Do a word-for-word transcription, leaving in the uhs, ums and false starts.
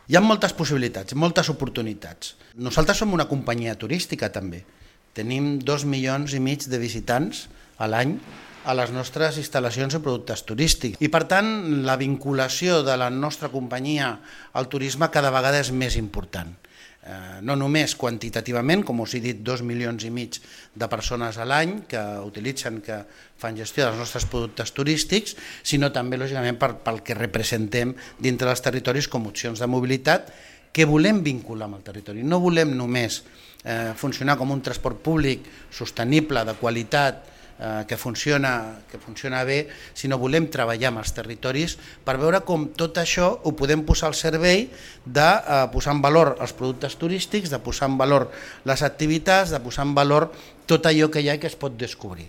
Hi ha moltes possibilitats, moltes oportunitats. Nosaltres som una companyia turística també. Tenim dos milions i mig de visitants a l'any a les nostres instal·lacions i productes turístics. I per tant, la vinculació de la nostra companyia al turisme cada vegada és més important. Eh, no només quantitativament, com us he dit, dos milions i mig de persones a l'any que utilitzen, que fan gestió dels nostres productes turístics, sinó també, lògicament, per, pel que representem dintre dels territoris com opcions de mobilitat que volem vincular amb el territori. No volem només eh, funcionar com un transport públic sostenible, de qualitat, que funciona, que funciona bé, sinó volem treballar amb els territoris per veure com tot això ho podem posar al servei de eh, posar en valor els productes turístics, de posar en valor les activitats, de posar en valor tot allò que hi ha i que es pot descobrir.